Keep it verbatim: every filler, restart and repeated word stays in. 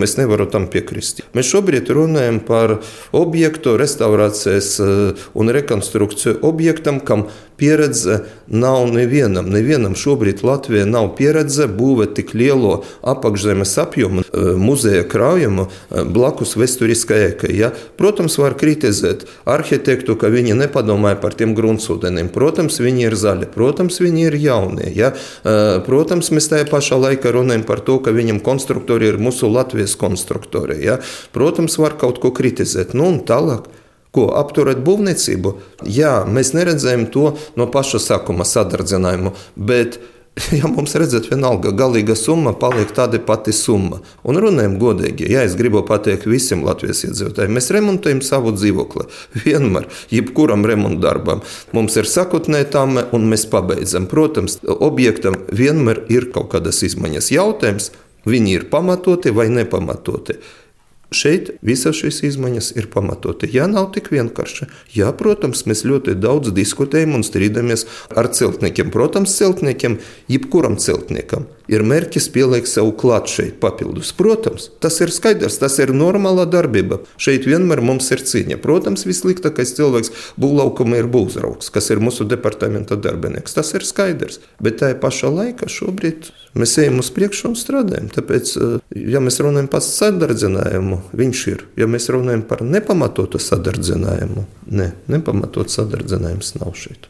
gadījumu es nevaru tam piekrist. Mēs šobrīd runājam par objektu, restaurācijas un rekonstrukciju objektam, kam pieredze nav nevienam. Nevienam šobrīd Latvijā nav pieredze būvēt tik lielo apakšzemes apjomu muzeja krājumu blakus vēsturiskai ēkai. Ja? Protams, var kritizēt arhitektu, ka viņi nepadomāja par tiem gruntsūdenim. Protams, viņi ir zaļi. Protams, viņi ir jaunie. Ja? Protams, mēs tajā pašā laikā runājam par to, ka viņam konstruktori ir mūsu Latvijas konstruktori. Ja? Protams, var kaut ko kritizēt. Nu un tālāk. Ko apturēt būvniecību? Jā, mēs neredzējām to no paša sākuma sadardzinājumu, bet, ja mums redzēt vienalga galīga summa, paliek tāda pati summa. Un runājam godīgi, ja es gribu pateikt visiem Latvijas iedzīvotājiem, mēs remontējam savu dzīvokli. Vienmēr, jebkuram remontdarbam. Mums ir sakotnē tame un mēs pabeidzam. Protams, objektam vienmēr ir kaut kādas izmaiņas. Jautājums, viņi ir pamatoti vai nepamatoti. Šeit visas šīs izmaiņas ir pamatoti. Jā, nav tik vienkārši. Jā, protams, mēs ļoti daudz diskutējam un strīdamies ar celtniekiem. Protams, celtniekiem, jebkuram celtniekam, ir mērķis pielikt sev klāt šeit papildus. Protams, tas ir skaidrs, tas ir normāla darbība. Šeit vienmēr mums ir cīņa. Protams, vissliktākais cilvēks būvlaukuma ir būvzraugs, kas ir mūsu departamenta darbinieks. Tas ir skaidrs. Bet tajā pašā laikā šobrīd mēs ejam uz priekšu un strādājam. Tāpēc, ja mēs runājam par sadardzinājumu, viņš ir. Ja mēs runājam par nepamatotu sadardzinājumu, ne, nepamatotu sadardzinājums nav šeit.